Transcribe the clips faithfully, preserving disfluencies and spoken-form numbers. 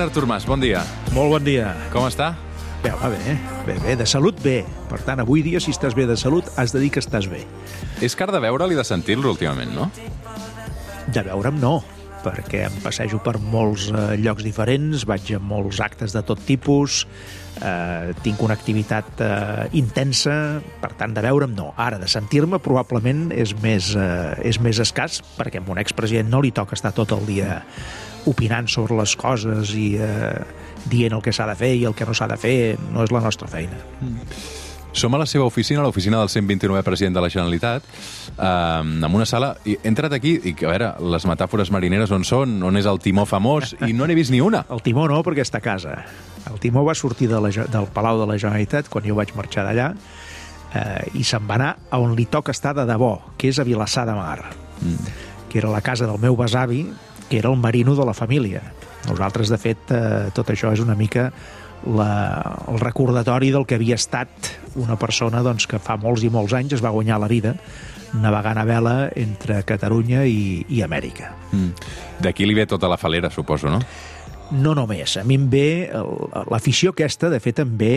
President Artur Mas, bon dia. Molt bon dia. Com està? Bé, va bé, bé, bé, de salut bé. Per tant, avui dia, si estàs bé de salut, has de dir que estàs bé. És car de veure'l i de sentir-lo últimament, no? De veure'm no, perquè em passejo per molts eh, llocs diferents, vaig a molts actes de tot tipus, eh, tinc una activitat eh, intensa, per tant, de veure'm no. Ara, de sentir-me, probablement és més, eh, és més escàs, perquè a un expresident no li toca estar tot el dia opinant sobre les coses i eh, dient el que s'ha de fer i el que no s'ha de fer. No és la nostra feina. Mm. Som a la seva oficina, a l'oficina del cent vint-i-novè president de la Generalitat, eh, en una sala, i he entrat aquí, i a veure, les metàfores marineres on són, on és el timó famós, i no n'he vist ni una. El timó no, perquè està a casa. El timó va sortir de la, del Palau de la Generalitat quan jo vaig marxar d'allà, eh, i se'n va anar a on li toca estar de debò, que és a Vilassar de Mar, mm. que era la casa del meu besavi, que era el marino de la família. Nosaltres, de fet, eh, tot això és una mica la, el recordatori del que havia estat una persona doncs, que fa molts i molts anys es va guanyar la vida navegant a vela entre Catalunya i, i Amèrica. Mm. D'aquí li ve tota la falera, suposo, no? No només. A mi em ve l'afició aquesta, de fet, em ve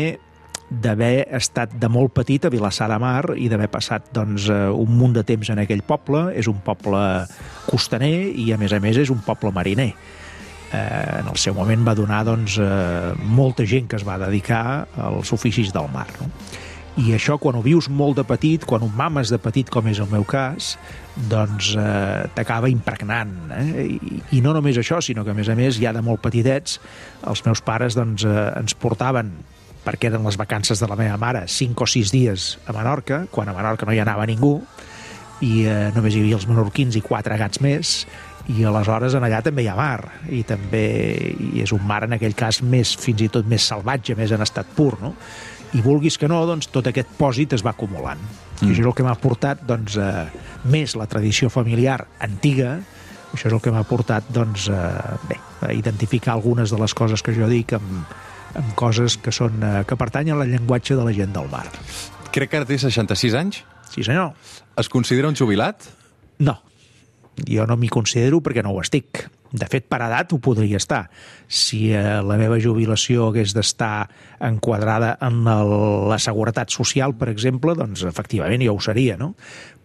d'haver estat de molt petit a Vilassar de Mar i d'haver passat doncs, un munt de temps en aquell poble. És un poble costaner i, a més a més, és un poble mariner. Eh, en el seu moment va donar doncs, eh, molta gent que es va dedicar als oficis del mar. No? I això, quan ho vius molt de petit, quan ho mames de petit, com és el meu cas, doncs eh, t'acaba impregnant. Eh? I, I no només això, sinó que, a més a més, ja de molt petitets, els meus pares doncs, eh, ens portaven, perquè eren les vacances de la meva mare, cinc o sis dies a Menorca, quan a Menorca no hi anava ningú, i eh, només hi havia els menorquins i quatre gats més, i aleshores en allà també hi ha mar, i també i és un mar, en aquell cas, més, fins i tot més salvatge, més en estat pur, no? I vulguis que no, doncs, tot aquest pòsit es va acumulant. Mm. I això és el que m'ha portat, doncs, eh, més la tradició familiar antiga, això és el que m'ha portat, doncs, eh, bé, a identificar algunes de les coses que jo dic amb amb coses que són eh, que pertanyen al llenguatge de la gent del mar. Crec que ara té seixanta-sis anys. Sí, senyor. Es considera un jubilat? No. Jo no m'hi considero perquè no ho estic. De fet, per edat ho podria estar. Si eh, la meva jubilació hagués d'estar enquadrada en el, la seguretat social, per exemple, doncs efectivament jo ho seria, no?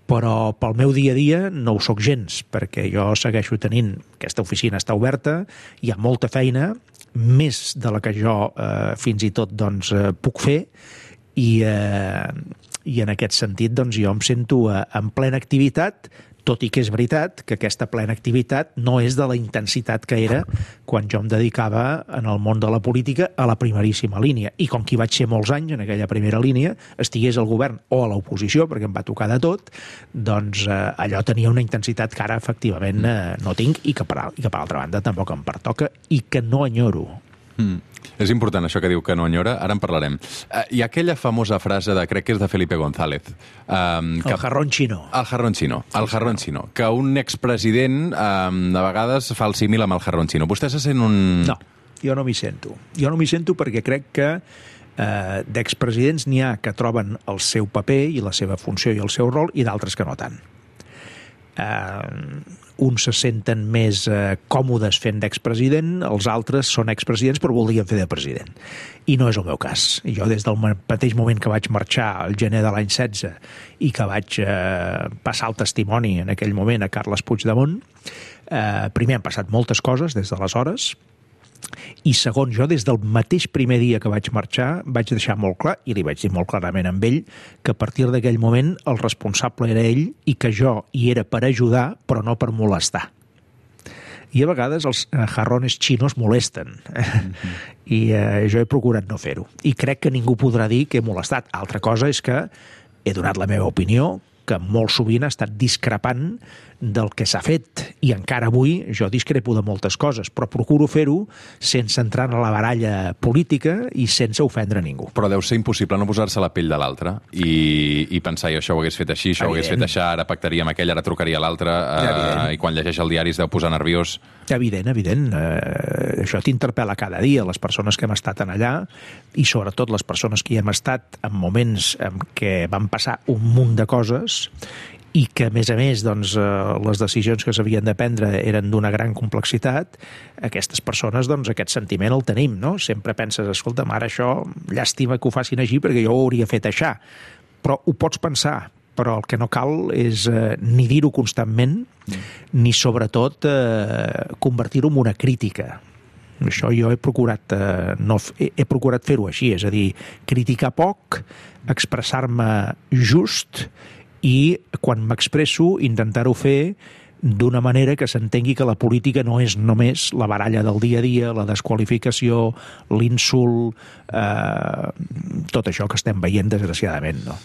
Però pel meu dia a dia no ho sóc gens, perquè jo segueixo tenint, aquesta oficina està oberta, hi ha molta feina, més de la que jo eh, fins i tot doncs, eh, puc fer, i, eh, i en aquest sentit doncs, jo em sento eh, en plena activitat, tot i que és veritat que aquesta plena activitat no és de la intensitat que era quan jo em dedicava en el món de la política a la primeríssima línia. I com que hi vaig ser molts anys en aquella primera línia, estigués al govern o a l'oposició, perquè em va tocar de tot, doncs eh, allò tenia una intensitat que ara efectivament eh, no tinc i que, per, i que per altra banda tampoc em pertoca i que no enyoro. Mm. És important això que diu que no enyora, ara en parlarem. Uh, hi ha aquella famosa frase de, crec que és de Felipe González. Um, que, el jarrón xino. El jarrón xino, el sí, jarrón xino. Que un expresident um, de vegades fa el símil amb el jarrón xino. Vostè se sent un... No, jo no m'hi sento. Jo no m'hi sento perquè crec que eh, d'expresidents n'hi ha que troben el seu paper i la seva funció i el seu rol i d'altres que no tant. Eh, uns se senten més eh, còmodes fent d'expresident, els altres són expresidents però voldrien fer de president. I no és el meu cas. Jo des del mateix moment que vaig marxar al gener de l'any setze i que vaig eh, passar el testimoni en aquell moment a Carles Puigdemont, eh, primer han passat moltes coses des d'aleshores, i segon, jo des del mateix primer dia que vaig marxar vaig deixar molt clar, i li vaig dir molt clarament amb ell, que a partir d'aquell moment el responsable era ell i que jo hi era per ajudar però no per molestar. I a vegades els jarrones xinos molesten. Mm-hmm. I eh, jo he procurat no fer-ho. I crec que ningú podrà dir que he molestat. Altra cosa és que he donat la meva opinió, que molt sovint ha estat discrepant del que s'ha fet. I encara avui jo discrepo de moltes coses, però procuro fer-ho sense entrar en la baralla política i sense ofendre ningú. Però deu ser impossible no posar-se a la pell de l'altre i, i pensar, jo això ho hagués fet així, això ho hagués fet així, ara pactaria amb aquell, ara trucaria a l'altre, eh, i quan llegeix el diari es deu posar nerviós. Evident, evident. Eh, això t'interpel·la cada dia, les persones que hem estat en allà, i sobretot les persones que hi hem estat en moments en què van passar un munt de coses i que, a més a més, doncs, eh, les decisions que s'havien de prendre eren d'una gran complexitat, aquestes persones, doncs, aquest sentiment el tenim, no? Sempre penses, escolta, ara això, llàstima que ho facin així perquè jo ho hauria fet això. Però ho pots pensar, però el que no cal és eh, ni dir-ho constantment, mm. ni sobretot eh, convertir-ho en una crítica. Això jo he procurat, eh, no, he, he procurat fer-ho així, és a dir, criticar poc, expressar-me just i quan m'expresso intentar-ho fer d'una manera que s'entengui que la política no és només la baralla del dia a dia, la desqualificació, l'insult, eh, tot això que estem veient desgraciadament, no?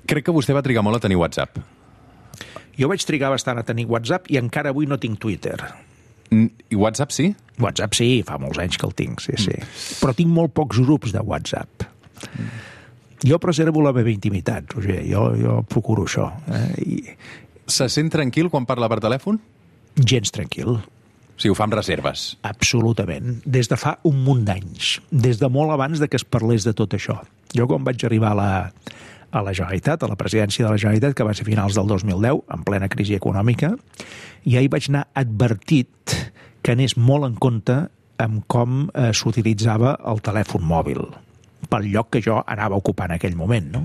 Crec que vostè va trigar molt a tenir WhatsApp. Jo vaig trigar bastant a tenir WhatsApp i encara avui no tinc Twitter. I WhatsApp sí? WhatsApp sí, fa molts anys que el tinc, sí, sí. Mm. Però tinc molt pocs grups de WhatsApp. Mm. Jo preservo la meva intimitat, Roger, jo, jo procuro això. Eh? I... Se sent tranquil quan parla per telèfon? Gens tranquil. Sí, ho fa amb reserves. Absolutament. Des de fa un munt d'anys. Des de molt abans de que es parlés de tot això. Jo quan vaig arribar a la, a la Generalitat, a la presidència de la Generalitat, que va ser finals del dos mil deu, en plena crisi econòmica, ja hi vaig anar advertit que anés molt en compte amb com eh, s'utilitzava el telèfon mòbil, pel lloc que jo anava a ocupar en aquell moment, no?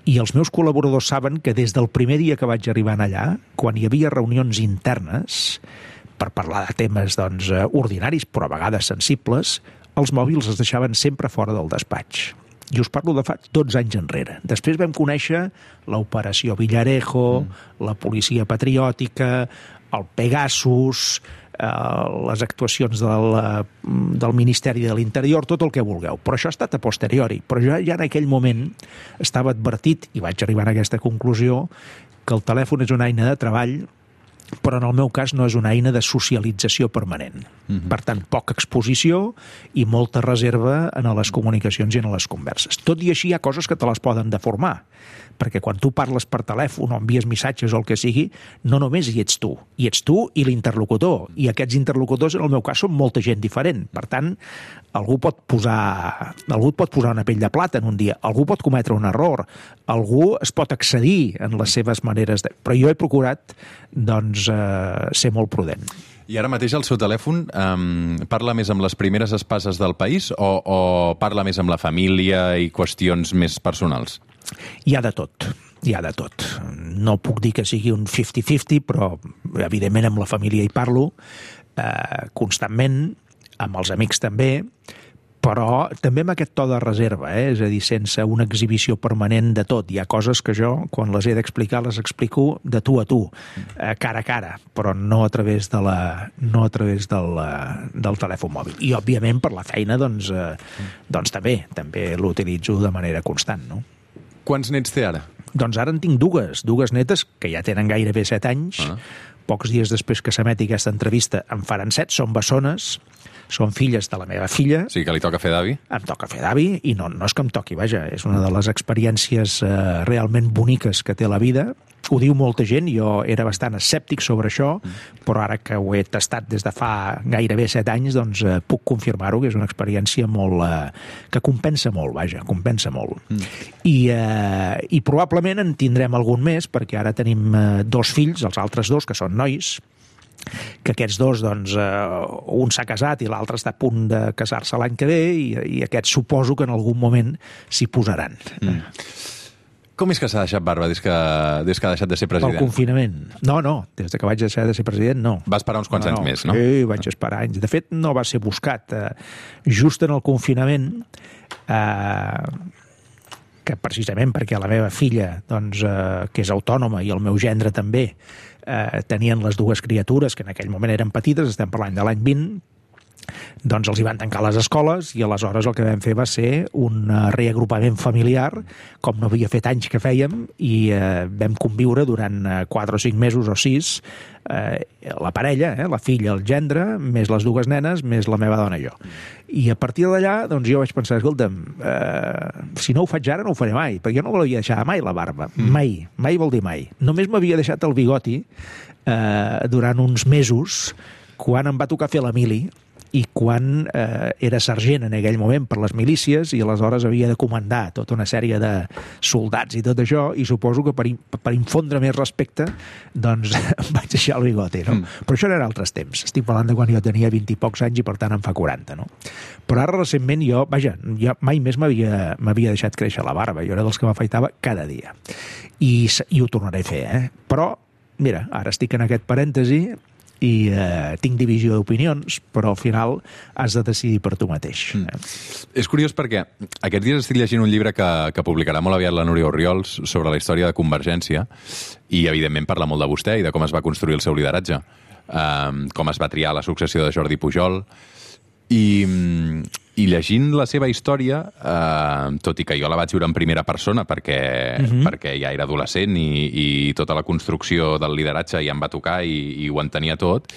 I els meus col·laboradors saben que des del primer dia que vaig arribar allà, quan hi havia reunions internes per parlar de temes doncs, ordinaris, però a vegades sensibles, els mòbils es deixaven sempre fora del despatx. I us parlo de fa dotze anys enrere. Després vam conèixer l'operació Villarejo, mm. la policia patriòtica, el Pegasus, les actuacions del, del Ministeri de l'Interior, tot el que vulgueu. Però això ha estat a posteriori. Però jo ja en aquell moment estava advertit, i vaig arribar a aquesta conclusió, que el telèfon és una eina de treball, però en el meu cas no és una eina de socialització permanent. Mm-hmm. Per tant, poca exposició i molta reserva en les comunicacions i en les converses. Tot i així hi ha coses que te les poden deformar, perquè quan tu parles per telèfon o envies missatges o el que sigui, no només hi ets tu, hi ets tu i l'interlocutor, i aquests interlocutors en el meu cas són molta gent diferent. Per tant, algú pot posar, algú pot posar una pell de plata en un dia, algú pot cometre un error, algú es pot excedir en les seves maneres de... Però jo he procurat, doncs, eh, ser molt prudent. I ara mateix el seu telèfon um, parla més amb les primeres espases del país o, o parla més amb la família i qüestions més personals? Hi ha de tot, hi ha de tot. No puc dir que sigui un cinquanta cinquanta, però evidentment amb la família hi parlo eh, constantment, amb els amics també, però també amb aquest to de reserva, eh? És a dir, sense una exhibició permanent de tot. Hi ha coses que jo, quan les he d'explicar, les explico de tu a tu, eh, cara a cara, però no a través, de la, no a través del, del telèfon mòbil. I, òbviament, per la feina, doncs, eh, doncs també, també l'utilitzo de manera constant, no? Quants nets té ara? Doncs ara en tinc dues, dues netes que ja tenen gairebé set anys. Ah. Pocs dies després que s'emeti aquesta entrevista en faran set, són bessones, són filles de la meva filla. Sí, que li toca fer d'avi. Em toca fer d'avi, i no, no és que em toqui, vaja, és una de les experiències eh, realment boniques que té la vida. Ho diu molta gent, jo era bastant escèptic sobre això, mm. però ara que ho he tastat des de fa gairebé set anys, doncs eh, puc confirmar-ho, que és una experiència molt... Eh, que compensa molt, vaja, compensa molt. Mm. I, eh, I probablement en tindrem algun més, perquè ara tenim eh, dos fills, els altres dos, que són nois, que aquests dos, doncs, eh, un s'ha casat i l'altre està a punt de casar-se l'any que ve, i, i aquests suposo que en algun moment s'hi posaran. Mm. Com és que s'ha deixat barba des que, des que ha deixat de ser president? Pel confinament. No, no, des que vaig deixar de ser president, no. Va esperar uns quants no, anys no. més, no? Sí, vaig esperar anys. De fet, no va ser buscat. Eh, just en el confinament, eh, que precisament perquè la meva filla, doncs, eh, que és autònoma, i el meu gendre també, eh, tenien les dues criatures, que en aquell moment eren petites, estem parlant de l'any vint, doncs els hi van tancar les escoles i aleshores el que vam fer va ser un reagrupament familiar, com no havia fet anys que fèiem, i eh, vam conviure durant quatre o cinc mesos o sis, eh, la parella, eh, la filla, el gendre, més les dues nenes, més la meva dona i jo. I a partir d'allà, doncs jo vaig pensar, escolta'm, eh, si no ho faig ara no ho faré mai, perquè jo no volia deixar mai la barba, mm. mai, mai vol dir mai. Només m'havia deixat el bigoti eh, durant uns mesos, quan em va tocar fer la mili, i quan eh, era sergent en aquell moment per les milícies i aleshores havia de comandar tota una sèrie de soldats i tot això, i suposo que per, per infondre més respecte doncs em vaig deixar el bigote, no? Mm. Però això eren altres temps. Estic parlant de quan jo tenia vint i pocs anys i per tant en fa quaranta, no? Però ara recentment jo, vaja, jo mai més m'havia m'havia deixat créixer la barba. Jo era dels que m'afaitava cada dia. I, i ho tornaré a fer, eh? Però, mira, ara estic en aquest parèntesi i eh, tinc divisió d'opinions, però al final has de decidir per tu mateix. Mm. És curiós perquè aquests dies estic llegint un llibre que, que publicarà molt aviat la Núria Orriols sobre la història de Convergència i, evidentment, parla molt de vostè i de com es va construir el seu lideratge, um, com es va triar la successió de Jordi Pujol. I, i llegint la seva història, eh, tot i que jo la vaig viure en primera persona perquè, uh-huh. perquè ja era adolescent i, i tota la construcció del lideratge ja em va tocar i, i ho entenia tot,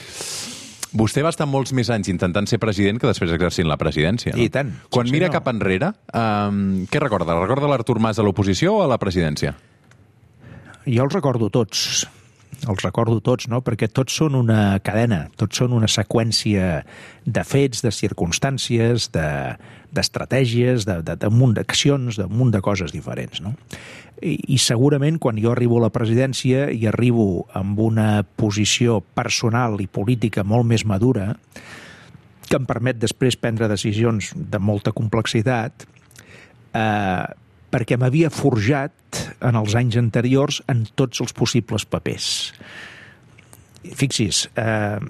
vostè va estar molts més anys intentant ser president que després exercint la presidència. No? I tant. Quan sí, mira no. cap enrere, eh, què recorda? Recorda l'Artur Mas a l'oposició o a la presidència? Jo els recordo tots. Els recordo tots, no? Perquè tots són una cadena, tots són una seqüència de fets, de circumstàncies, d'estratègies, de, de, de munt d'accions, de munt de coses diferents, no? I, I segurament quan jo arribo a la presidència i arribo amb una posició personal i política molt més madura, que em permet després prendre decisions de molta complexitat, eh, perquè m'havia forjat en els anys anteriors en tots els possibles papers. Fixis, eh,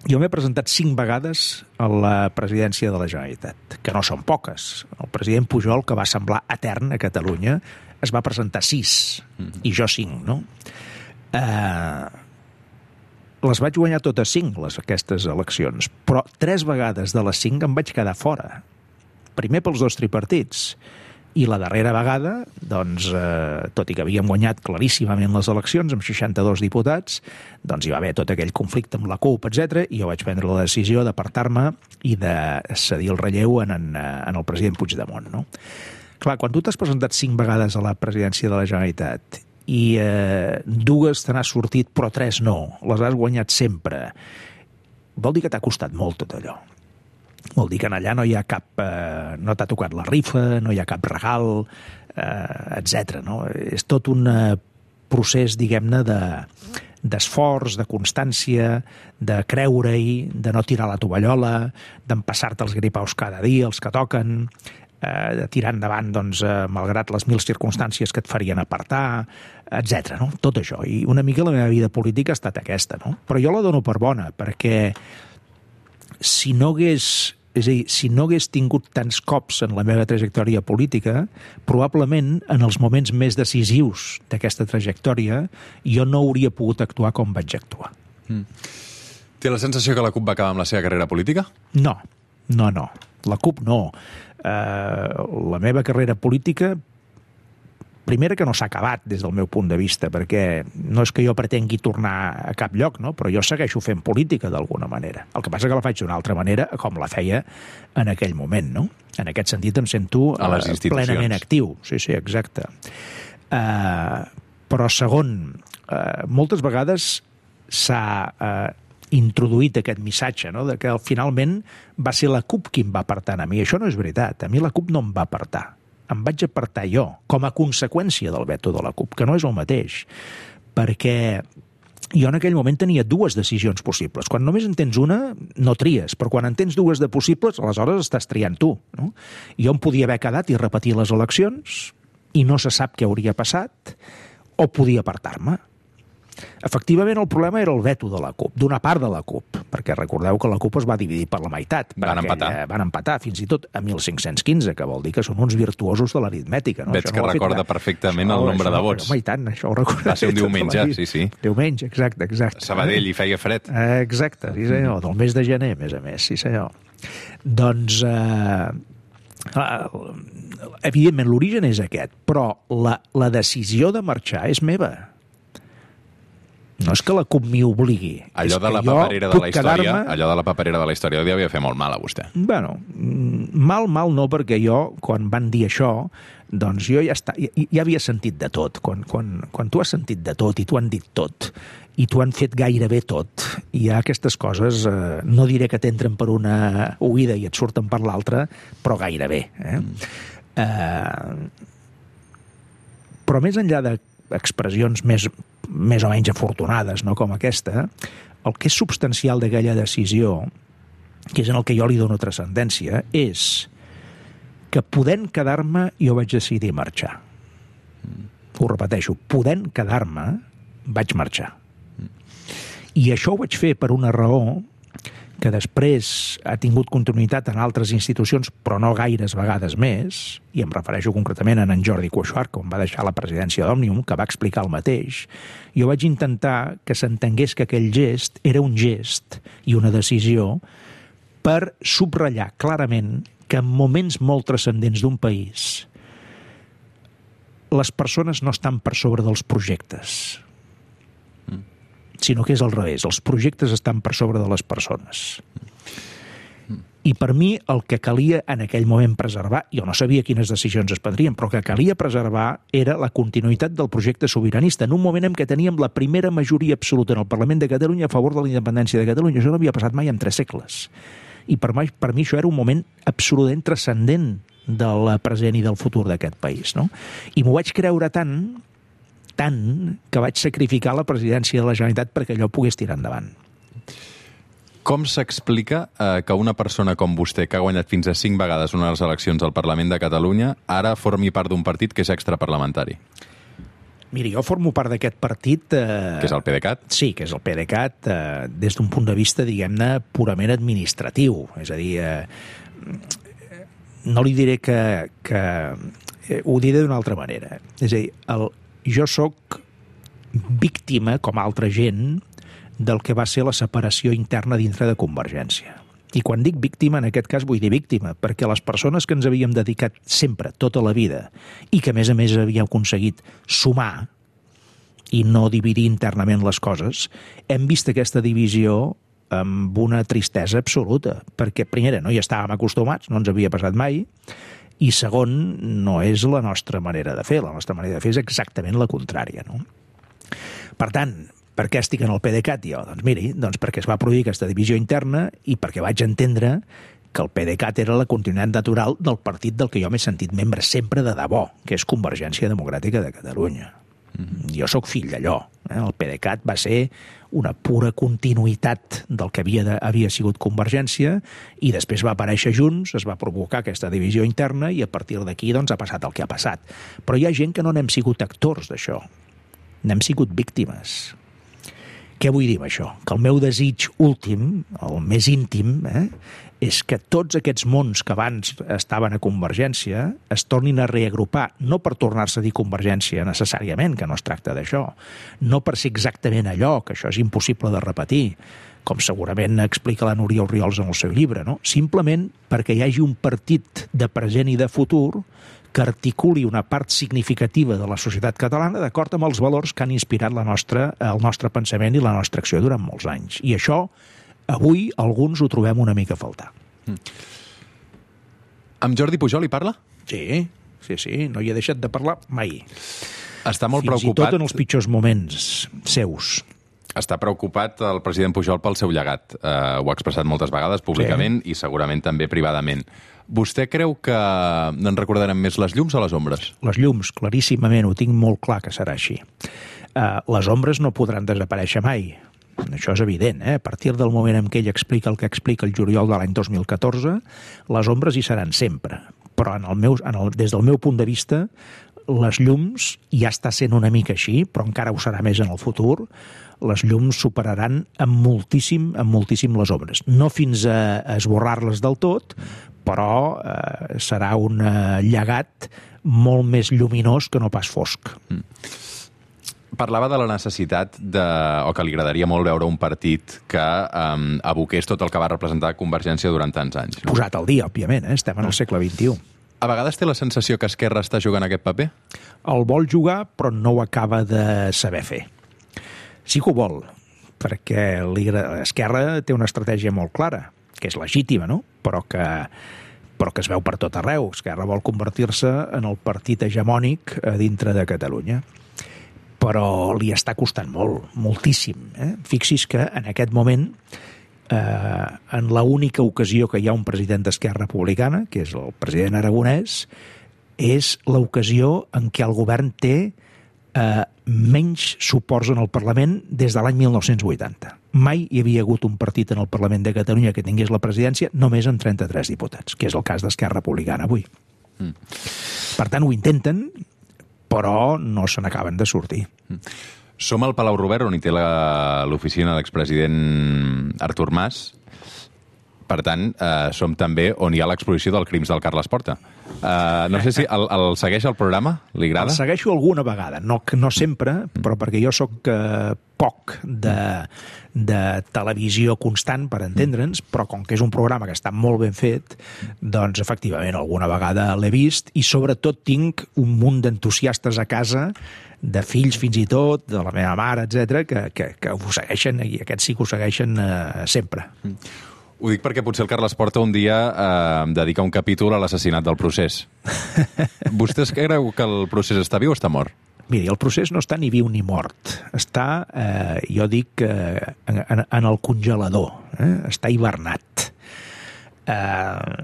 jo m'he presentat cinc vegades a la presidència de la Generalitat, que no són poques. El president Pujol, que va semblar etern a Catalunya, es va presentar sis, mm-hmm. i jo cinc, no? Eh, les vaig guanyar totes cinc, les, aquestes eleccions, però tres vegades de les cinc em vaig quedar fora. Primer pels dos tripartits, i la darrera vegada, doncs, eh, tot i que havíem guanyat claríssimament les eleccions amb seixanta-dos diputats, doncs hi va haver tot aquell conflicte amb la CUP, etcètera, i jo vaig prendre la decisió d'apartar-me i de cedir el relleu en, en, en el president Puigdemont, no? Clar, quan tu t'has presentat cinc vegades a la presidència de la Generalitat i eh, dues te n'has sortit però tres no, les has guanyat sempre, vol dir que t'ha costat molt tot allò. Vol dir que allà no hi ha cap... Eh, no t'ha tocat la rifa, no hi ha cap regal, eh, etcètera. No? És tot un eh, procés, diguem-ne, de, d'esforç, de constància, de creure-hi, de no tirar la tovallola, d'empassar-te els gripaus cada dia, els que toquen, eh, de tirar endavant, doncs, eh, malgrat les mil circumstàncies que et farien apartar, etcètera. No? Tot això. I una mica la meva vida política ha estat aquesta, no? Però jo la dono per bona, perquè si no hagués, és a dir, si no hagués tingut tants cops en la meva trajectòria política, probablement en els moments més decisius d'aquesta trajectòria jo no hauria pogut actuar com vaig actuar. Mm. Té la sensació que la CUP va acabar amb la seva carrera política? No, no, no. La CUP no. Uh, la meva carrera política, primera que no s'ha acabat des del meu punt de vista, perquè no és que jo pretengui tornar a cap lloc, no? Però jo segueixo fent política d'alguna manera. El que passa que la faig d'una altra manera, com la feia en aquell moment, no? En aquest sentit em sento a les institucions. Plenament actiu. Sí, sí, exacte. Uh, però segon, uh, moltes vegades s'ha uh, introduït aquest missatge, no? De que finalment va ser la CUP qui em va apartar a mi. Això no és veritat. A mi la CUP no em va apartar. Em vaig apartar jo, com a conseqüència del veto de la CUP, que no és el mateix, perquè jo en aquell moment tenia dues decisions possibles. Quan només en tens una, no tries, però quan en tens dues de possibles, aleshores estàs triant tu, no? Jo em podia haver quedat i repetir les eleccions, i no se sap què hauria passat, o podia apartar-me. Efectivament, el problema era el veto de la CUP, d'una part de la CUP, perquè recordeu que la CUP es va dividir per la meitat. Van empatar. Eh, van empatar, fins i tot a mil cinc-cents quinze, que vol dir que són uns virtuosos de l'aritmètica. No? Veig això que no recorda perfectament això, el nombre això, de vots. Home, i tant, això ho recordo. Va ser un diumenge, sí, sí. Diumenge, exacte, exacte. A Sabadell hi feia fred. Eh, exacte, sí senyor, del mes de gener, a més a més, sí senyor. Doncs... Eh, evidentment, l'origen és aquest, però la, la decisió de marxar és meva. No és que la CUP m'hi obligui. Allò de la paperera de la història, allò de la paperera de la història li havia fet molt mal a vostè. Bueno, mal, mal no, perquè jo, quan van dir això, doncs jo ja, està, ja, ja havia sentit de tot. Quan, quan, quan tu has sentit de tot i t'ho han dit tot, i t'ho han fet gairebé tot, i hi ha aquestes coses, eh, no diré que t'entren per una oïda i et surten per l'altra, però gairebé. Eh? Mm. Eh, però més enllà d'expressions més, més o menys afortunades, no, com aquesta, el que és substancial d'aquella decisió, que és en el que jo li dono transcendència, és que podent quedar-me jo vaig decidir marxar. Mm. Ho repeteixo, podent quedar-me vaig marxar. Mm. I això ho vaig fer per una raó que després ha tingut continuïtat en altres institucions, però no gaires vegades més, i em refereixo concretament a en Jordi Cuixart, quan va deixar la presidència d'Òmnium, que va explicar el mateix. Jo vaig intentar que s'entengués que aquell gest era un gest i una decisió per subratllar clarament que en moments molt transcendents d'un país les persones no estan per sobre dels projectes, sinó que és al revés. Els projectes estan per sobre de les persones. I per mi el que calia en aquell moment preservar, jo no sabia quines decisions es prendrien, però que calia preservar era la continuïtat del projecte sobiranista, en un moment en què teníem la primera majoria absoluta en el Parlament de Catalunya a favor de la independència de Catalunya. Això no havia passat mai en tres segles. I per mi, per mi això era un moment absolutament transcendent del present i del futur d'aquest país, no? I m'ho vaig creure tant tant que vaig sacrificar la presidència de la Generalitat perquè allò pogués tirar endavant. Com s'explica eh, que una persona com vostè, que ha guanyat fins a cinc vegades unes eleccions al Parlament de Catalunya, ara formi part d'un partit que és extraparlamentari? Miri, jo formo part d'aquest partit... Eh, que és el PDeCAT? Sí, que és el PDeCAT, eh, des d'un punt de vista, diguem-ne, purament administratiu. És a dir, eh, no li diré que... que eh, ho diré d'una altra manera. És a dir, el jo sóc víctima, com altra gent, del que va ser la separació interna dintre de Convergència. I quan dic víctima, en aquest cas vull dir víctima, perquè les persones que ens havíem dedicat sempre, tota la vida, i que a més a més havíem aconseguit sumar i no dividir internament les coses, hem vist aquesta divisió amb una tristesa absoluta, perquè primera, no hi estàvem acostumats, no ens havia passat mai, i segon, no és la nostra manera de fer. La nostra manera de fer és exactament la contrària, no? Per tant, per què estic en el PDeCAT jo? Doncs miri, doncs perquè es va produir aquesta divisió interna i perquè vaig entendre que el PDeCAT era la continuïtat natural del partit del que jo m'he sentit membre sempre de debò, que és Convergència Democràtica de Catalunya. Mm-hmm. Jo sóc fill d'allò. Eh? El PDeCAT va ser una pura continuïtat del que havia, de, havia sigut Convergència i després va aparèixer Junts, es va provocar aquesta divisió interna i a partir d'aquí doncs, ha passat el que ha passat. Però hi ha gent que no n'hem sigut actors d'això, n'hem sigut víctimes. Què vull dir amb això? Que el meu desig últim, el més íntim, eh, és que tots aquests mons que abans estaven a Convergència es tornin a reagrupar, no per tornar-se a dir Convergència necessàriament, que no es tracta d'això, no per ser exactament allò, que això és impossible de repetir, com segurament explica la Núria Orriols en el seu llibre, no? Simplement perquè hi hagi un partit de present i de futur que articuli una part significativa de la societat catalana d'acord amb els valors que han inspirat la nostra, el nostre pensament i la nostra acció durant molts anys. I això, avui, alguns ho trobem una mica a faltar. Mm. Amb Jordi Pujol hi parla? Sí, sí, sí, no hi he deixat de parlar mai. Està molt Fins preocupat... Fins i tot en els pitjors moments seus. Està preocupat el president Pujol pel seu llegat. Uh, ho ha expressat moltes vegades públicament sí. I segurament també privadament. Vostè creu que en recordarem més les llums o les ombres? Les llums, claríssimament, ho tinc molt clar que serà així. Uh, les ombres no podran desaparèixer mai. Això és evident, eh? A partir del moment en què ell explica el que explica el juliol de l'any dos mil catorze, les ombres hi seran sempre. Però en el meu, en el, des del meu punt de vista, les llums ja està sent una mica així, però encara ho serà més en el futur. Les llums superaran amb moltíssim, amb moltíssim les ombres. No fins a, a esborrar-les del tot, però eh, serà un eh, llegat molt més lluminós que no pas fosc. Mm. Parlava de la necessitat de, o que li agradaria molt veure un partit que um, aboqués tot el que va representar Convergència durant tants anys. No? Posat al dia, òbviament, eh? Estem en el segle vint-i-u. A vegades té la sensació que Esquerra està jugant aquest paper? El vol jugar, però no ho acaba de saber fer. sí que ho vol, perquè Esquerra té una estratègia molt clara, que és legítima, no? Però que, però que es veu per tot arreu. Esquerra vol convertir-se en el partit hegemònic a dintre de Catalunya. Però li està costant molt, moltíssim. Eh? Fixi's que en aquest moment, eh, en l'única ocasió que hi ha un president d'Esquerra Republicana, que és el president Aragonès, és l'ocasió en què el govern té eh, menys suports en el Parlament des de l'any mil nou-cents vuitanta. Mai hi havia hagut un partit en el Parlament de Catalunya que tingués la presidència només amb trenta-tres diputats, que és el cas d'Esquerra Republicana avui. Mm. Per tant, ho intenten, però no se n'acaben de sortir. Som al Palau Robert, on hi té l'oficina de l'expresident Artur Mas. Per tant, eh, som també on hi ha l'exposició dels crims del Carles Porta. Uh, no sé si el, el segueix el programa? Li agrada? El segueixo alguna vegada, no, no sempre, però perquè jo sóc uh, poc de, de televisió constant, per entendre'ns, però com que és un programa que està molt ben fet, doncs efectivament alguna vegada l'he vist, i sobretot tinc un munt d'entusiastes a casa, de fills fins i tot, de la meva mare, etcètera, que, que, que ho segueixen, i aquests sí que ho segueixen uh, sempre. Ho dic perquè potser el Carles Porta un dia eh, dedica un capítol a l'assassinat del Procés. Vostè creu que el Procés està viu o està mort? Miri, el Procés no està ni viu ni mort. Està, eh, jo dic, eh, en, en el congelador. Eh? Està hivernat. Eh,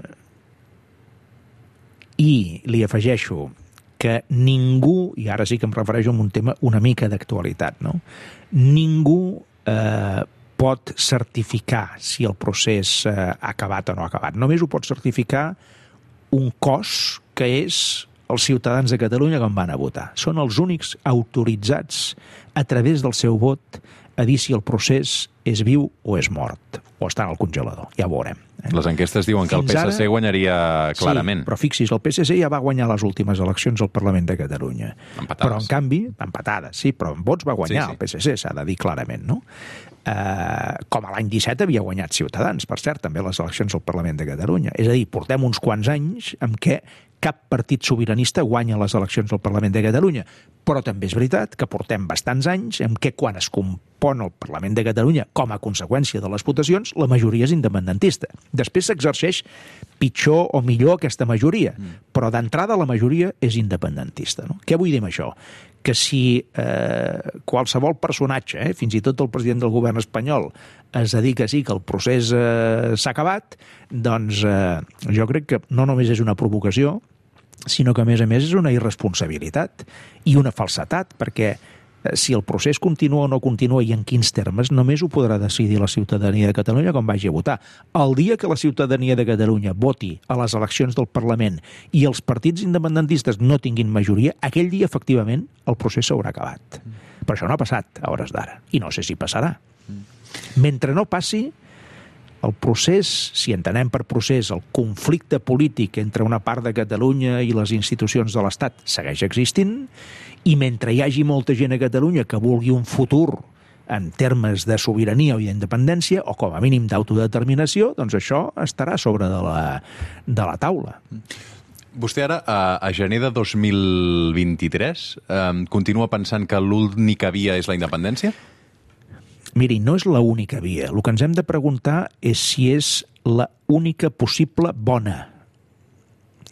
I li afegeixo que ningú, i ara sí que em refereixo a un tema una mica d'actualitat, no? Ningú eh, pot certificar si el procés eh, ha acabat o no ha acabat. Només ho pot certificar un cos que és els ciutadans de Catalunya que van a votar. Són els únics autoritzats a través del seu vot a dir si el procés és viu o és mort, o està en el congelador. Ja ho veurem. Eh? Les enquestes diuen que Fins el P S C ara... guanyaria clarament. Sí, però fixis, el P S C ja va guanyar les últimes eleccions al Parlament de Catalunya. Empatades. Però, en canvi, empatades, sí, però en vots va guanyar sí, sí. el P S C, s'ha de dir clarament, no? Eh, com a l'any disset havia guanyat Ciutadans, per cert, també les eleccions al Parlament de Catalunya. És a dir, portem uns quants anys en què cap partit sobiranista guanya les eleccions al Parlament de Catalunya. Però també és veritat que portem bastants anys en què quan es compon el Parlament de Catalunya com a conseqüència de les votacions, la majoria és independentista. Després s'exerceix pitjor o millor aquesta majoria, però d'entrada la majoria és independentista. No? Què vull dir amb això? Que si eh, qualsevol personatge, eh, fins i tot el president del govern espanyol, es dedica a dir que el procés eh, s'ha acabat, doncs eh, jo crec que no només és una provocació, sinó que a més a més és una irresponsabilitat i una falsetat, perquè eh, si el procés continua o no continua i en quins termes, només ho podrà decidir la ciutadania de Catalunya quan vagi a votar. El dia que la ciutadania de Catalunya voti a les eleccions del Parlament i els partits independentistes no tinguin majoria, aquell dia, efectivament, el procés s'haurà acabat. Però això no ha passat a hores d'ara, i no sé si passarà. Mentre no passi, el procés, si entenem per procés el conflicte polític entre una part de Catalunya i les institucions de l'Estat segueix existint, i mentre hi hagi molta gent a Catalunya que vulgui un futur en termes de sobirania o d'independència, o com a mínim d'autodeterminació, doncs això estarà sobre de la, de la taula. Vostè ara, a, a gener de dos mil vint-i-tres, eh, continua pensant que l'única via és la independència? Miri, no és l'única via. El que ens hem de preguntar és si és la única possible bona.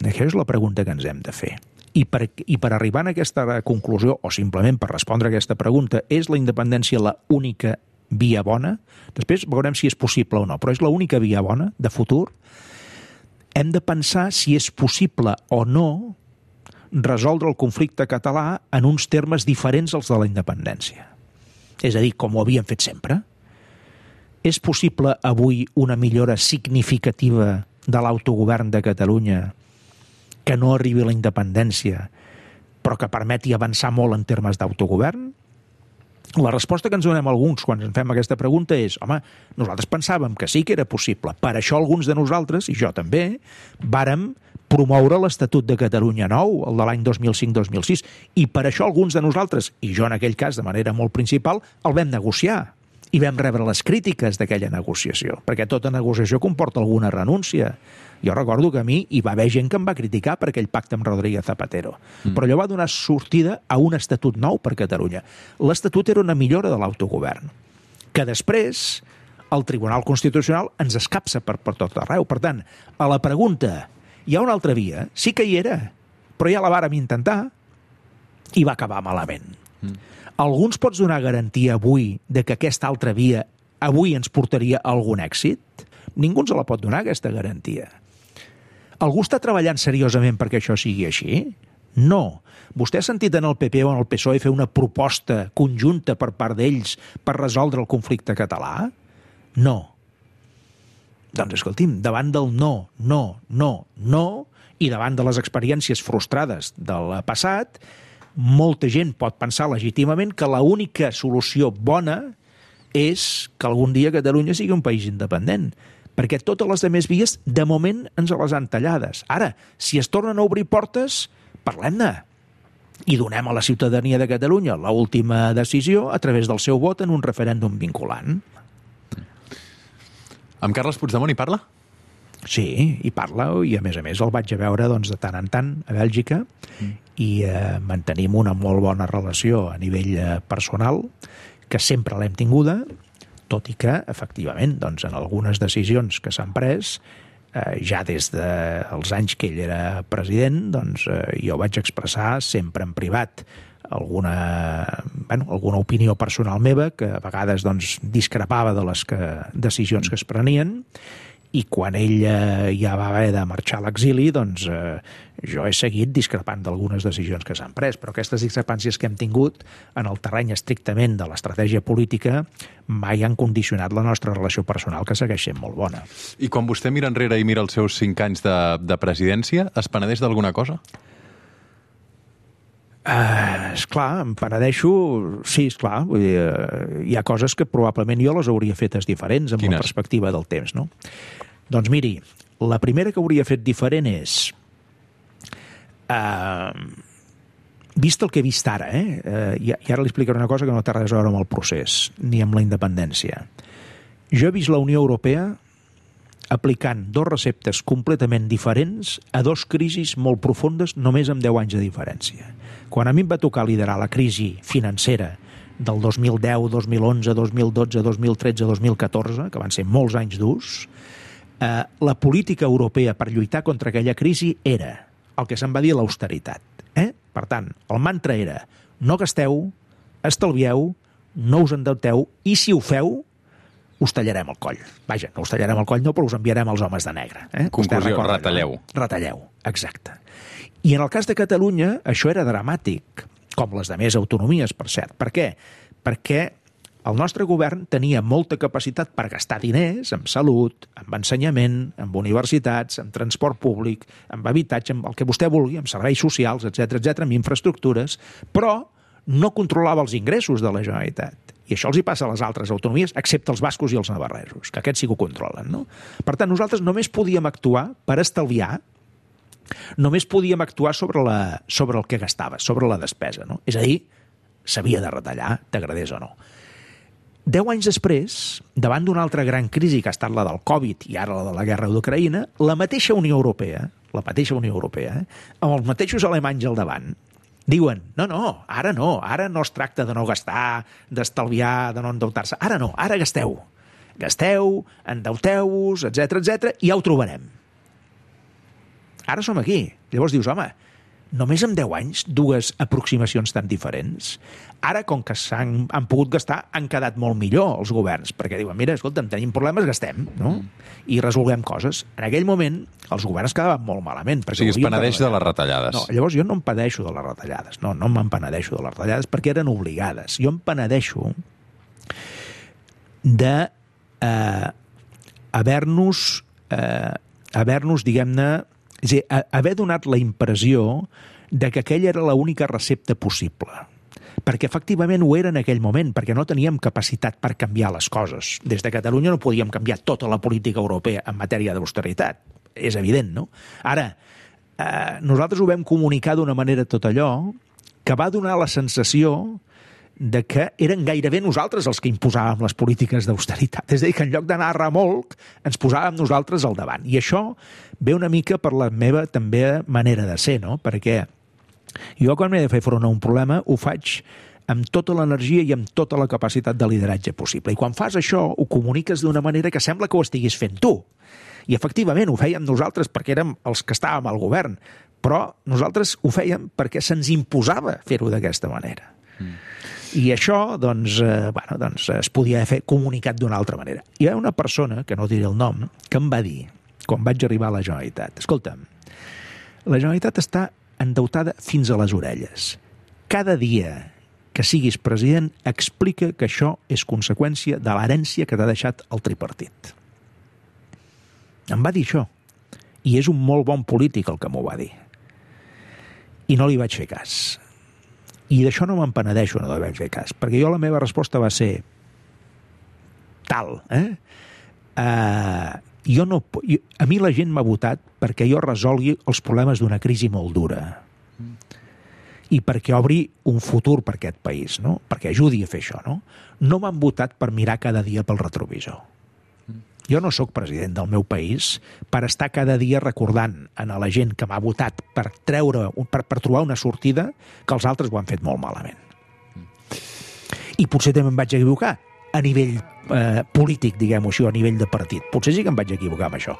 Això és la pregunta que ens hem de fer. I per, i per arribar a aquesta conclusió, o simplement per respondre a aquesta pregunta, és la independència la única via bona? Després veurem si és possible o no, però és la única via bona de futur? Hem de pensar si és possible o no resoldre el conflicte català en uns termes diferents als de la independència. És a dir, com ho havíem fet sempre. És possible avui una millora significativa de l'autogovern de Catalunya que no arribi a la independència, però que permeti avançar molt en termes d'autogovern? La resposta que ens donem alguns quan ens fem aquesta pregunta és, home, nosaltres pensàvem que sí que era possible. Per això alguns de nosaltres, i jo també, vàrem promoure l'Estatut de Catalunya nou, el de l'any dos mil cinc dos mil sis, i per això alguns de nosaltres, i jo en aquell cas de manera molt principal, el vam negociar. i vam rebre les crítiques d'aquella negociació, perquè tota negociació comporta alguna renúncia. Jo recordo que a mi hi va haver gent que em va criticar per aquell pacte amb Rodríguez Zapatero, mm. però allò va donar sortida a un estatut nou per Catalunya. L'estatut era una millora de l'autogovern, que després el Tribunal Constitucional ens escapça per, per tot arreu. Per tant, a la pregunta, hi ha una altra via? Sí que hi era, però ja la vàrem intentar i va acabar malament. Mm. Alguns pots donar garantia avui de que aquesta altra via avui ens portaria a algun èxit? Ningú ens la pot donar, aquesta garantia. Algú està treballant seriosament perquè això sigui així? No. Vostè ha sentit en el P P o en el P S O E fer una proposta conjunta per part d'ells per resoldre el conflicte català? No. Doncs escolti'm, davant del no, no, no, no, i davant de les experiències frustrades del passat, molta gent pot pensar legítimament que l'única solució bona és que algun dia Catalunya sigui un país independent, perquè totes les altres vies, de moment, ens les han tallades. Ara, si es tornen a obrir portes, parlem-ne. I donem a la ciutadania de Catalunya l'última decisió a través del seu vot en un referèndum vinculant. Amb Carles Puigdemont hi parla? Sí, hi parla, i a més a més el vaig a veure doncs, de tant en tant a Bèlgica, mm. i eh, mantenim una molt bona relació a nivell eh, personal, que sempre l'hem tinguda, tot i que, efectivament, doncs, en algunes decisions que s'han pres, eh, ja des dels anys que ell era president, doncs, eh, jo vaig expressar sempre en privat alguna, bueno, alguna opinió personal meva, que a vegades doncs, discrepava de les que, decisions que es prenien, i quan ell eh, ja va haver de marxar a l'exili, doncs eh, jo he seguit discrepant d'algunes decisions que s'han pres, però aquestes discrepàncies que hem tingut en el terreny estrictament de l'estratègia política mai han condicionat la nostra relació personal, que segueix sent molt bona. I quan vostè mira enrere i mira els seus cinc anys de, de presidència, es penedeix d'alguna cosa? Uh, esclar, em penedeixo, sí, esclar, vull dir, uh, hi ha coses que probablement jo les hauria fetes diferents amb Quines? La perspectiva del temps, no? Doncs miri, la primera que hauria fet diferent és, uh, vist el que he vist ara, eh? Uh, i, i ara li explicaré una cosa que no té res a veure amb el procés, ni amb la independència. Jo he vist la Unió Europea aplicant dos receptes completament diferents a dos crisis molt profundes només amb deu anys de diferència. Quan a mi em va tocar liderar la crisi financera del dos mil deu, dos mil onze, dos mil dotze, dos mil tretze, dos mil catorze, que van ser molts anys durs, eh, la política europea per lluitar contra aquella crisi era el que se'n va dir l'austeritat. Eh? Per tant, el mantra era no gasteu, estalvieu, no us endeuteu, i si ho feu, us tallarem el coll. Vaja, no us tallarem el coll no, però us enviarem els homes de negre. Eh? Conclusió, retalleu. No? Retalleu, exacte. I en el cas de Catalunya això era dramàtic, com les demés autonomies, per cert. Per què? Perquè el nostre govern tenia molta capacitat per gastar diners en salut, en ensenyament, en universitats, en transport públic, en habitatge, en el que vostè vulgui, en serveis socials, etcètera, etcètera, en infraestructures, però no controlava els ingressos de la Generalitat. I això els hi passa a les altres autonomies, excepte els bascos i els navarresos, que aquests sí que ho controlen, no? Per tant, nosaltres només podíem actuar per estalviar, només podíem actuar sobre, la, sobre el que gastava, sobre la despesa, no? És a dir, s'havia de retallar, t'agradés o no. Deu anys després, davant d'una altra gran crisi que ha estat la del Covid i ara la de la guerra d'Ucraïna, la mateixa Unió Europea, la mateixa Unió Europea, eh, amb els mateixos alemanys al davant, diuen, no, no, ara no, ara no es tracta de no gastar, d'estalviar, de no endeutar-se, ara no, ara gasteu. Gasteu, endeuteu-vos, etcètera, etcètera, i ja ho trobarem. Ara som aquí. Llavors dius, home, només en deu anys, dues aproximacions tan diferents. Ara, com que s'han han pogut gastar, han quedat molt millor els governs, perquè diuen, mira, escolta'm, tenim problemes, gastem, no? I resolguem coses. En aquell moment, els governs quedaven molt malament. O sigui, es penedeix de les retallades. No, llavors jo no em penedeixo de les retallades. No, no me'n penedeixo de les retallades perquè eren obligades. Jo em penedeixo de eh, haver-nos, eh, haver-nos, diguem-ne, és a dir, haver donat la impressió de que aquella era l'única recepta possible. Perquè efectivament ho era en aquell moment, perquè no teníem capacitat per canviar les coses. Des de Catalunya no podíem canviar tota la política europea en matèria d'austeritat. És evident, no? Ara, eh, nosaltres ho vam comunicar d'una manera tot allò que va donar la sensació de que eren gairebé nosaltres els que imposàvem les polítiques d'austeritat. És a dir, que en lloc d'anar a remolc, ens posàvem nosaltres al davant. I això ve una mica per la meva també manera de ser, no? Perquè jo quan m'he de fer front a un problema ho faig amb tota l'energia i amb tota la capacitat de lideratge possible. I quan fas això ho comuniques d'una manera que sembla que ho estiguis fent tu. I efectivament ho fèiem nosaltres perquè érem els que estàvem al govern, però nosaltres ho fèiem perquè se'ns imposava fer-ho d'aquesta manera. Mm. I això, doncs, eh, bueno, doncs, es podia fer comunicat d'una altra manera. Hi ha una persona, que no diré el nom, que em va dir, quan vaig arribar a la Generalitat, escolta'm, la Generalitat està endeutada fins a les orelles. Cada dia que siguis president explica que això és conseqüència de l'herència que t'ha deixat el tripartit. Em va dir això. I és un molt bon polític el que m'ho va dir. I no li vaig fer cas. I d'això no me'n penedeixo, no li vaig fer cas, perquè jo la meva resposta va ser tal, eh? Uh, jo no, jo, a mi la gent m'ha votat perquè jo resolgui els problemes d'una crisi molt dura i perquè obri un futur per aquest país, no? Perquè ajudi a fer això, no? No m'han votat per mirar cada dia pel retrovisor. Jo no sóc president del meu país per estar cada dia recordant a la gent que m'ha votat per treure, per, per trobar una sortida que els altres ho han fet molt malament. I potser també em vaig equivocar a nivell eh, polític, diguem-ho així, o a nivell de partit. Potser sí que em vaig equivocar amb això.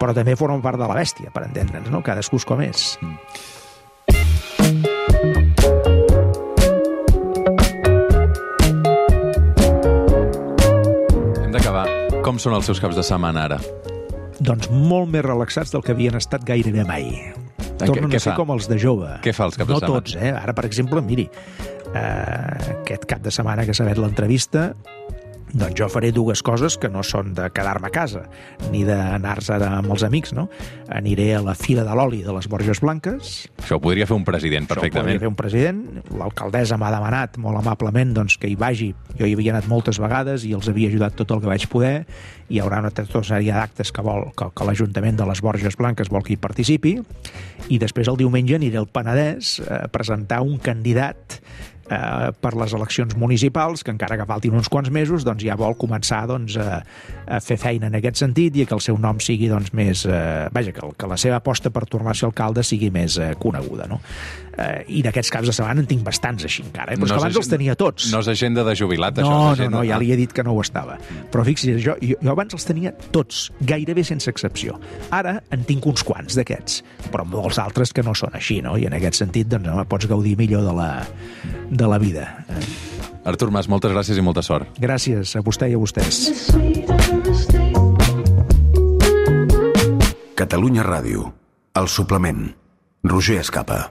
Però també forma part de la bèstia, per entendre'ns, no? Cadascú és com és. Mm. Com són els seus caps de setmana ara? Doncs molt més relaxats del que havien estat gairebé mai. Tornen a ser com els de jove. Què fa els caps de setmana? No tots, eh? Ara, per exemple, miri, eh, aquest cap de setmana que s'ha fet l'entrevista, doncs jo faré dues coses que no són de quedar-me a casa, ni d'anar-se amb els amics, no? Aniré a la Fira de l'Oli de les Borges Blanques. Això ho podria fer un president, perfectament. Això ho podria fer un president. L'alcaldessa m'ha demanat molt amablement doncs, que hi vagi. Jo hi havia anat moltes vegades i els havia ajudat tot el que vaig poder. Hi haurà una tota sèrie d'actes que, vol, que, que l'Ajuntament de les Borges Blanques vol que hi participi. I després el diumenge aniré al Penedès a presentar un candidat Eh, per les eleccions municipals, que encara que faltin uns quants mesos, doncs ja vol començar doncs, a, a fer feina en aquest sentit i que el seu nom sigui doncs, més... Eh, vaja, que, que la seva aposta per tornar a ser alcalde sigui més eh, coneguda, no? Eh, I d'aquests caps de setmana en tinc bastants així encara, eh? Però no és que abans els tenia tots. No és agenda de jubilat, no, això? No, agenda... no, ja li he dit que no ho estava. Però fixi's, jo, jo, jo abans els tenia tots, gairebé sense excepció. Ara en tinc uns quants d'aquests, però molts altres que no són així, no? I en aquest sentit, doncs, no, pots gaudir millor de la, de la vida. Artur Mas, moltes gràcies i molta sort. Gràcies a vostè i a vostès. Catalunya Ràdio, El Suplement, Roger Escapa.